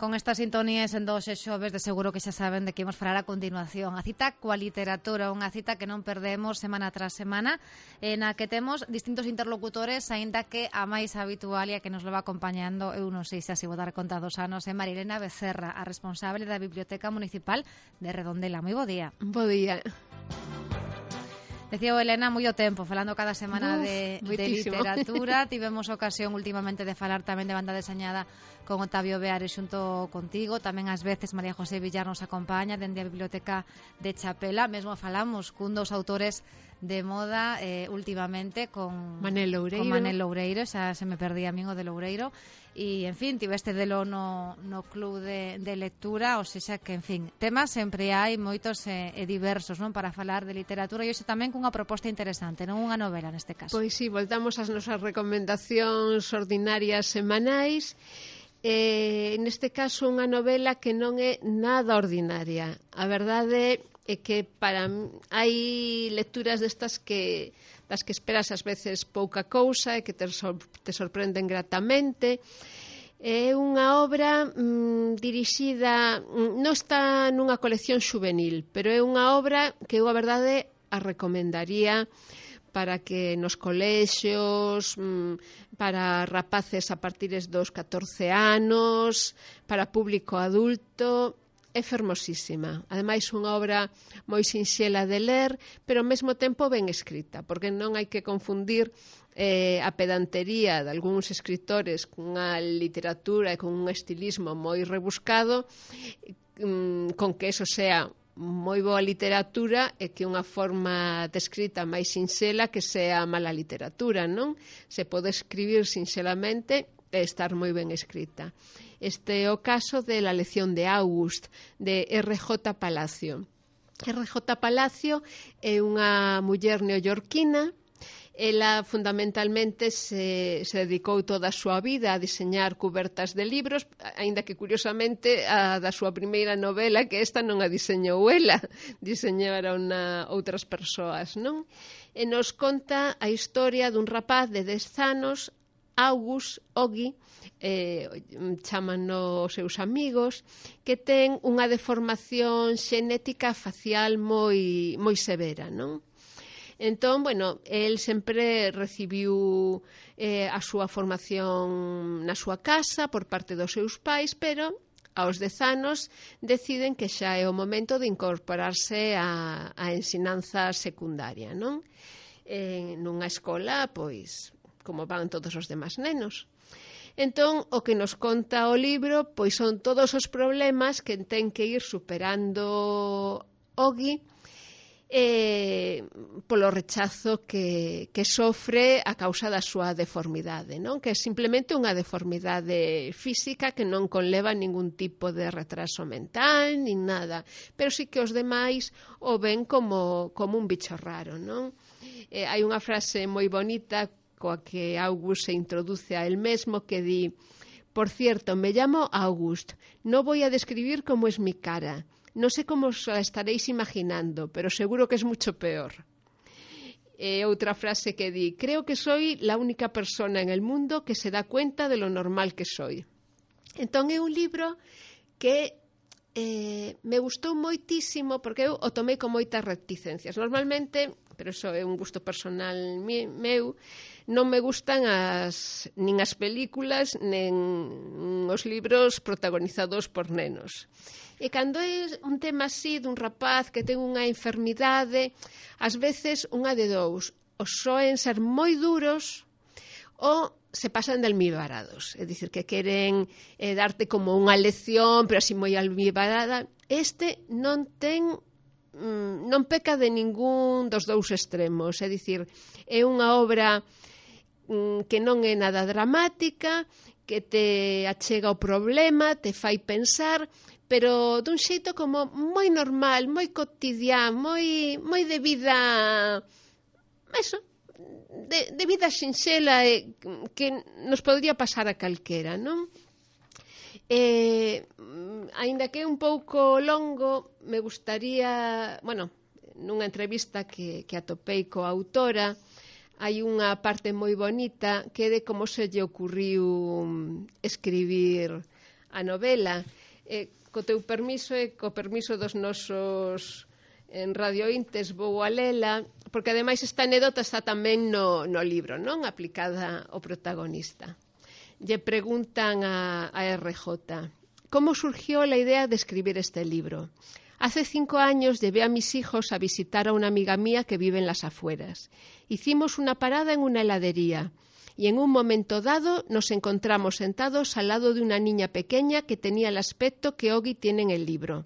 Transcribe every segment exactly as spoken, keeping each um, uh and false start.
con estas sintonías en dos e xoves de seguro que xa saben de que imos falar a continuación. A cita coa literatura, unha cita que non perdemos semana tras semana, na que temos distintos interlocutores, aínda que a máis habitual e a que nos leva acompañando, eu non sei se así vou dar conta dos anos, é Marilena Becerra, a responsable da Biblioteca Municipal de Redondela. Moi bo día. Bo día. Decía o Elena moi o tempo, falando cada semana Uf, de, de literatura. Tivemos ocasión últimamente de falar tamén de banda deseñada con Octavio Beares xunto contigo. Tamén ás veces María José Villar nos acompaña dende a Biblioteca de Chapela. Mesmo falamos cun dos autores de moda eh, últimamente con Manel Loureiro. Con Manel Loureiro, xa se me perdía a min o de Loureiro. E, en fin, tiveste delo no, no club de, de lectura, ou seja que, en fin, temas sempre hai moitos e, e diversos, non, para falar de literatura, e hoxe tamén cunha proposta interesante, non unha novela neste caso. Pois sí, voltamos ás nosas recomendacións ordinarias semanais. Eh, neste caso, unha novela que non é nada ordinaria. A verdade é que para hai lecturas destas que das que esperas ás veces pouca cousa e que te, sor te sorprenden gratamente. É unha obra mm, dirixida, mm, non está nunha colección xuvenil, pero é unha obra que eu a verdade a recomendaría para que nos colexios, mm, para rapaces a partir dos catorce anos, para público adulto. É fermosísima. Ademais, unha obra moi sinxela de ler, pero ao mesmo tempo ben escrita, porque non hai que confundir eh, a pedantería de algúns escritores cunha literatura e con un estilismo moi rebuscado, mm, con que eso sea moi boa literatura e que unha forma de escrita máis sinxela que sea mala literatura, non? Se pode escribir sinxelamente e estar moi ben escrita. Este é o caso de La lección de August, de R J Palacio. R J Palacio é unha muller neoyorquina. Ela fundamentalmente se, se dedicou toda a súa vida a diseñar cubertas de libros, aínda que curiosamente a da súa primeira novela, que esta non a diseñou ela, diseñaron a outras persoas, non? E nos conta a historia dun rapaz de dez anos, August Ogi, eh, chaman os seus amigos, que ten unha deformación xenética facial moi, moi severa, non? Entón, bueno, el sempre recibiu eh, a súa formación na súa casa por parte dos seus pais, pero aos dez anos deciden que xa é o momento de incorporarse a, a ensinanza secundaria, non? Eh, nunha escola, pois, como van todos os demás nenos. Entón, o que nos conta o libro, pois son todos os problemas que ten que ir superando Ogi eh, polo rechazo que, que sofre a causa da súa deformidade, non? Que é simplemente unha deformidade física que non conleva ningún tipo de retraso mental, nin nada, pero sí que os demais o ven como, como un bicho raro, non? Eh, hai unha frase moi bonita coa que August se introduce a él mesmo, que di: por cierto, me llamo August, no voy a describir cómo es mi cara, no sé cómo os la estaréis imaginando, pero seguro que es mucho peor. E outra frase que di: creo que soy la única persona en el mundo que se da cuenta de lo normal que soy. Entón é un libro que eh, me gustou moitísimo, porque eu o tomei con moitas reticencias. Normalmente, pero iso é un gusto personal meu, non me gustan as, nin as películas nin os libros protagonizados por nenos. E cando é un tema así dun rapaz que ten unha enfermidade, ás veces unha de dous, os soen ser moi duros ou se pasan de almibarados, é dicir, que queren eh, darte como unha lección, pero así moi almibarada. Este non ten non peca de ningún dos dous extremos, é dicir, é unha obra que non é nada dramática, que te achega o problema, te fai pensar, pero dun xeito como moi normal, moi cotidián, moi, moi de vida, eso, de, de vida sinxela, eh, que nos podría pasar a calquera, non? Eh, aínda que é un pouco longo, me gustaría, bueno, nunha entrevista que, que atopei coa autora, hai unha parte moi bonita que é de como se lle ocurriu escribir a novela. Eh, co teu permiso e co permiso dos nosos en radiointes vou a lela, porque ademais esta anécdota está tamén no, no libro, non? Aplicada ao protagonista. Lle preguntan a, a R J: ¿cómo surgió la idea de escribir este libro? Hace cinco años llevé a mis hijos a visitar a una amiga mía que vive en las afueras. Hicimos una parada en una heladería y en un momento dado nos encontramos sentados al lado de una niña pequeña que tenía el aspecto que Ogi tiene en el libro.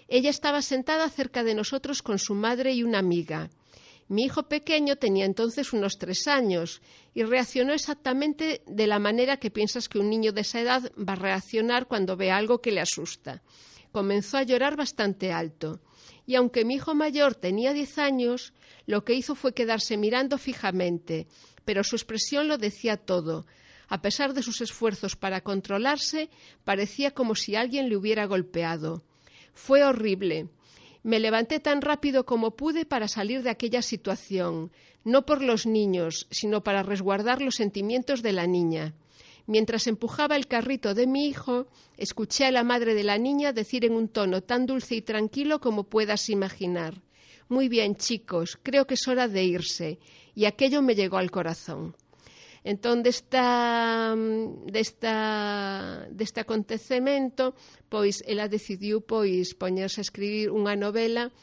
Ella estaba sentada cerca de nosotros con su madre y una amiga. Mi hijo pequeño tenía entonces unos tres años y reaccionó exactamente de la manera que piensas que un niño de esa edad va a reaccionar cuando ve algo que le asusta. Comenzó a llorar bastante alto y aunque mi hijo mayor tenía diez años, lo que hizo fue quedarse mirando fijamente, pero su expresión lo decía todo. A pesar de sus esfuerzos para controlarse, parecía como si alguien le hubiera golpeado. Fue horrible. Me levanté tan rápido como pude para salir de aquella situación, no por los niños, sino para resguardar los sentimientos de la niña. Mientras empujaba el carrito de mi hijo, escuché a la madre de la niña decir en un tono tan dulce y tranquilo como puedas imaginar: «Muy bien, chicos, creo que es hora de irse», y aquello me llegó al corazón. Entón, desta, desta, deste acontecemento, pois, ela decidiu pois, poñerse a escribir unha novela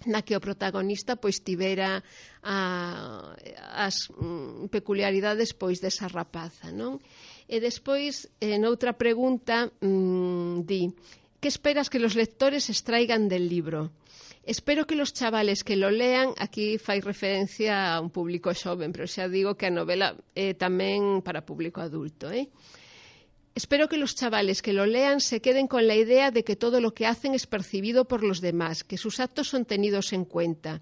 na que o protagonista pois tivera a, as mm, peculiaridades pois desa rapaza, non? E despois, en outra pregunta, mmm, di: ¿qué esperas que los lectores extraigan del libro? Espero que los chavales que lo lean, aquí fai referencia a un público xoven, pero xa digo que a novela é tamén para público adulto, eh? Espero que los chavales que lo lean se queden con la idea de que todo lo que hacen es percibido por los demás, que sus actos son tenidos en cuenta.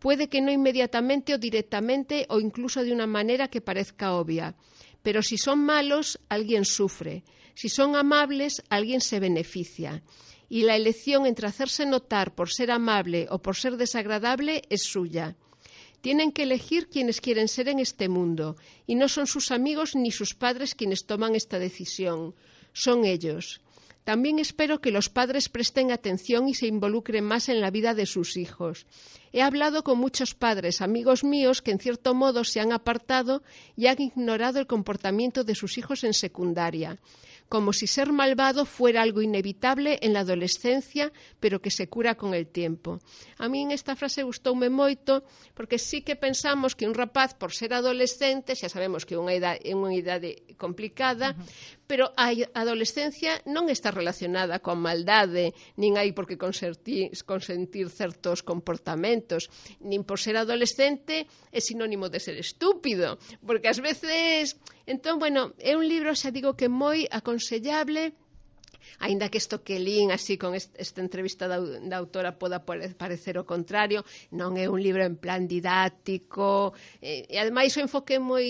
Puede que no inmediatamente o directamente o incluso de una manera que parezca obvia, pero si son malos, alguien sufre. Si son amables, alguien se beneficia. Y la elección entre hacerse notar por ser amable o por ser desagradable es suya. Tienen que elegir quienes quieren ser en este mundo, y no son sus amigos ni sus padres quienes toman esta decisión, son ellos. También espero que los padres presten atención y se involucren más en la vida de sus hijos. He hablado con muchos padres, amigos míos, que en cierto modo se han apartado y han ignorado el comportamiento de sus hijos en secundaria, como si ser malvado fuera algo inevitable en la adolescencia, pero que se cura con el tiempo. A mí en esta frase gustoume moito, porque sí que pensamos que un rapaz, por ser adolescente, xa sabemos que é unha idade, é unha idade complicada, uh-huh. pero a adolescencia non está relacionada coa maldade, nin hai por que consentir, consentir certos comportamentos, nin por ser adolescente é sinónimo de ser estúpido, porque ás veces... Entón, bueno, é un libro, xa digo, que moi aconsellable, aínda que isto que lín así con esta entrevista da, da autora poda parecer o contrario, non é un libro en plan didáctico, e, e ademais o enfoque é moi...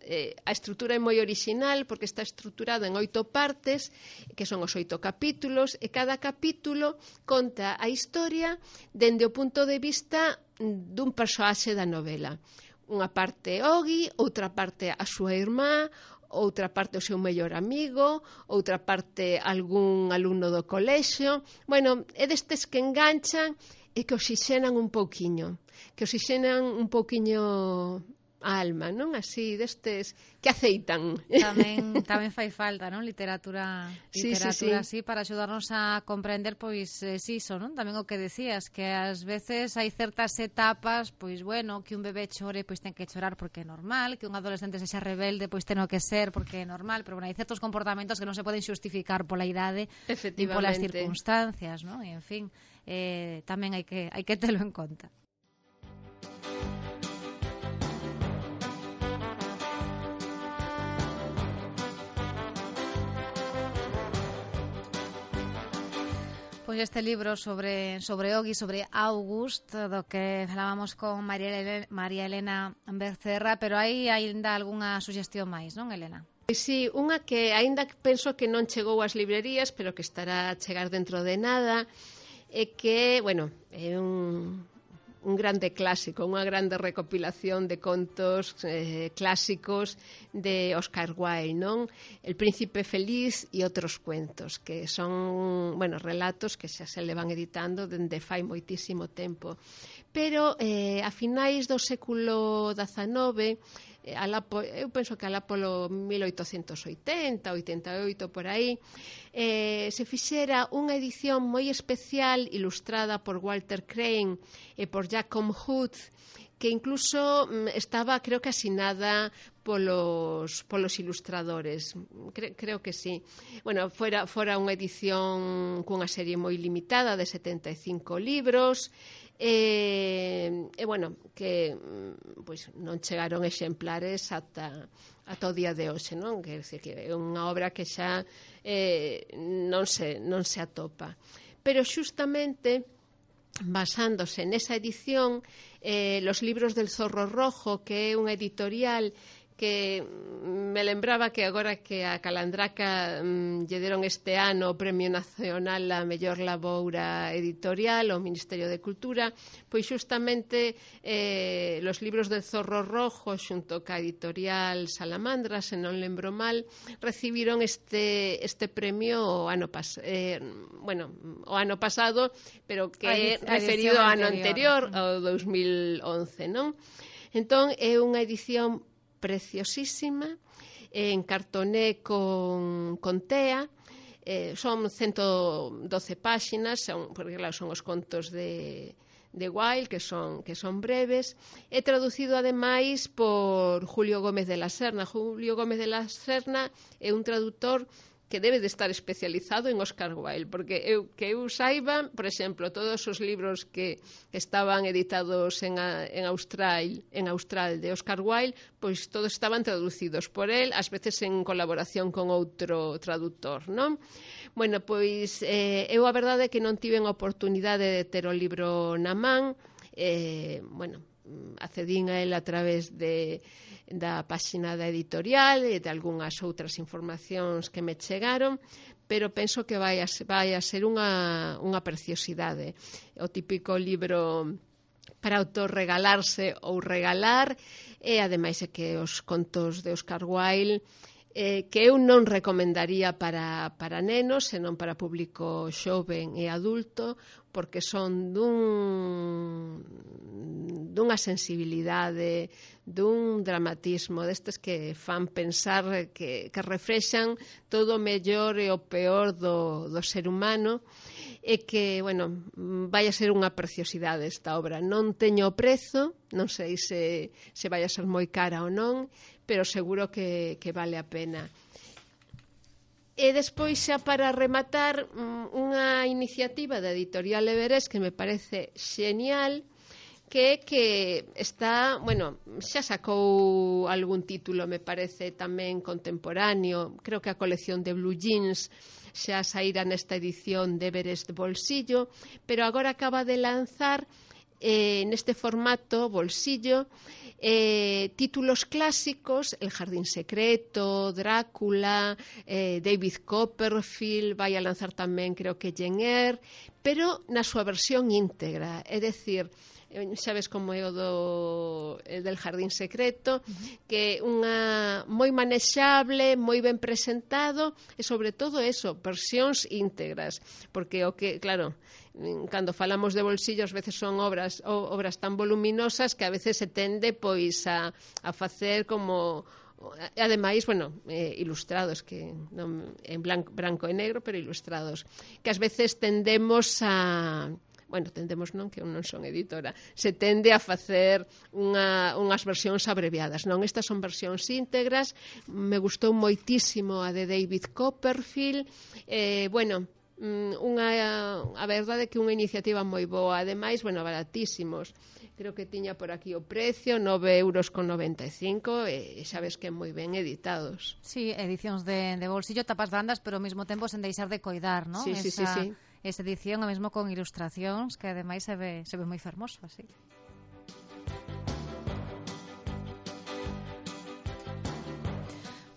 Eh, a estrutura é moi original, porque está estruturado en oito partes, que son os oito capítulos, e cada capítulo conta a historia dende o punto de vista dun persoaxe da novela. Unha parte Ogi, outra parte a súa irmá, outra parte o seu mellor amigo, outra parte algún alumno do colexio. Bueno, é destes que enganchan e que oxixenan un pouquiño, que oxixenan un pouquiño a alma, non? Así, destes que aceitan. Tamén, tamén fai falta, non? Literatura, literatura sí, sí, sí. así para axudarnos a comprender, pois, eh, si iso, non? Tamén o que decías, que ás veces hai certas etapas, pois, bueno, que un bebé chore, pois ten que chorar porque é normal, que un adolescente sexa rebelde, pois ten que ser porque é normal, pero, bueno, hai certos comportamentos que non se poden xustificar pola idade nin polas circunstancias, non? E, en fin, eh, tamén hai que, hai que telo en conta. Pois este libro sobre sobre Ogi, sobre August, do que falábamos con María Elena, María Elena Bercerra, pero hai aínda algunha suxestión máis, non, Elena? Sí, unha que aínda penso que non chegou ás librerías, pero que estará a chegar dentro de nada, é que, bueno, é un, un grande clásico, unha grande recopilación de contos eh, clásicos de Oscar Wilde, non? El Príncipe Feliz e outros cuentos, que son, bueno, relatos que xa se le van editando dende fai moitísimo tempo. Pero eh, a finais do século dezanove, Alá, eu penso que alá polo mil oitocentos oitenta, oitenta e oito, por aí, eh, se fixera unha edición moi especial ilustrada por Walter Crane e por Jacob Hood, que incluso mm, estaba, creo que asinada polos, polos ilustradores. Cre, creo que sí. Bueno, fora, fora unha edición cunha serie moi limitada de setenta e cinco libros, e, e bueno, que pois non chegaron exemplares ata, ata o día de hoxe, non? Que, que é unha obra que xa eh, non, se, non se atopa. Pero xustamente basándose nesa edición, eh, Los libros del Zorro Rojo, que é unha editorial que me lembraba que agora que a Calandraca mm, lle deron este ano o Premio Nacional a mellor laboura editorial ao Ministerio de Cultura, pois xustamente eh, Los libros del Zorro Rojo xunto ca editorial Salamandra, se non lembro mal, recibiron este, este premio o ano pas, eh, bueno, o ano pasado, pero que é referido ao ano anterior, ao dos mil once, non? Entón, é unha edición preciosísima, en cartoné con, con tea, eh, son ciento doce páxinas, son, porque claro, son os contos de, de Wilde, que son, que son breves, e traducido ademais por Julio Gómez de la Serna. Julio Gómez de la Serna é un traductor que debe de estar especializado en Oscar Wilde, porque eu, que eu saiba, por exemplo, todos os libros que estaban editados en, a, en, Austral, en Austral de Oscar Wilde, pois todos estaban traducidos por él, ás veces en colaboración con outro traductor, non? Bueno, pois eh, eu a verdade é que non tiven a oportunidade de ter o libro na man, eh, bueno, accedín a él a través de da páxina da editorial e de algunhas outras informacións que me chegaron, pero penso que vai a, vai a ser unha, unha preciosidade. O típico libro para autorregalarse ou regalar, e ademais é que os contos de Oscar Wilde eh, que eu non recomendaría para, para nenos, senón para público xoven e adulto, porque son dun, dunha sensibilidade, dun dramatismo, destes que fan pensar, que, que reflexan todo o mellor e o peor do, do ser humano, e que, bueno, vai a ser unha preciosidade esta obra. Non teño prezo, non sei se, se vai a ser moi cara ou non, pero seguro que, que vale a pena. E despois, xa para rematar, unha iniciativa da editorial Everest que me parece xenial, que é que está, bueno, xa sacou algún título, me parece tamén contemporáneo, creo que a colección de Blue Jeans xa saíra nesta edición de Everest de bolsillo, pero agora acaba de lanzar eh, neste formato bolsillo eh, títulos clásicos, El Jardín Secreto, Drácula, eh, David Copperfield, vai a lanzar tamén creo que Jane Eyre, pero na súa versión íntegra, é dicir, sabes como é o do el del Jardín Secreto, que unha moi manexable, moi ben presentado, e sobre todo eso, versións íntegras, porque o que, claro, cando falamos de bolsillo, ás veces son obras obras tan voluminosas que a veces se tende pois a, a facer como, ademais, bueno, eh, ilustrados, que non, en blanco, branco e negro, pero ilustrados, que ás veces tendemos a, bueno, tendemos non, que eu non son editora, se tende a facer unha, unhas versións abreviadas, non, estas son versións íntegras. Me gustou moitísimo a de David Copperfield, eh, bueno, unha, a verdade é que unha iniciativa moi boa, ademais, bueno, baratísimos, creo que tiña por aquí o precio, nove euros con noventa e cinco, e sabes que moi ben editados. Sí, edicións de, de bolsillo, tapas bandas, pero ao mesmo tempo sen deixar de coidar, non? Sí, sí, esa, sí, sí. Esa edición, ao mesmo con ilustracións, que ademais se ve, se ve moi fermoso, así.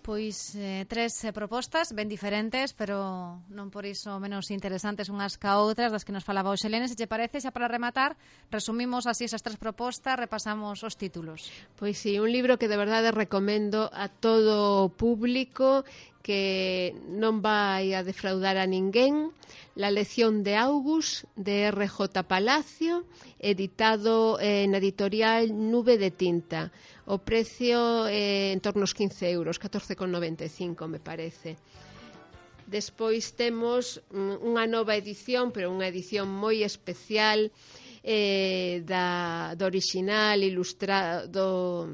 Pois eh, tres eh, propostas ben diferentes, pero non por iso menos interesantes unhas ca outras, das que nos falaba o Xelene. Se te parece, xa para rematar, resumimos así esas tres propostas, repasamos os títulos. Pois sí, un libro que de verdade recomendo a todo o público, que non vai a defraudar a ninguén. La lección de August, de R J Palacio, editado eh, na editorial Nube de Tinta. O precio eh, en torno aos quince euros, catorce con noventa e cinco me parece. Despois temos unha nova edición, pero unha edición moi especial, eh, da, do original ilustrado,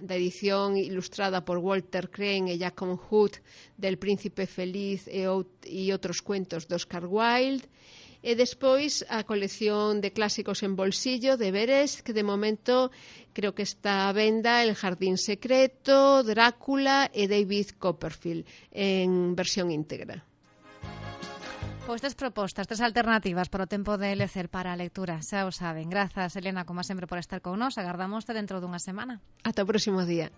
da edición ilustrada por Walter Crane e Jacob Hood, del Príncipe Feliz e, e outros cuentos de Oscar Wilde. E despois a colección de clásicos en bolsillo de Verés, que de momento creo que está a venda El Jardín Secreto, Drácula e David Copperfield en versión íntegra. Pois tres propostas, tres alternativas para o tempo de lecer para a lectura, xa o saben. Grazas, Elena, como sempre, por estar con nós. Agardámoste dentro dunha semana. Ata o próximo día.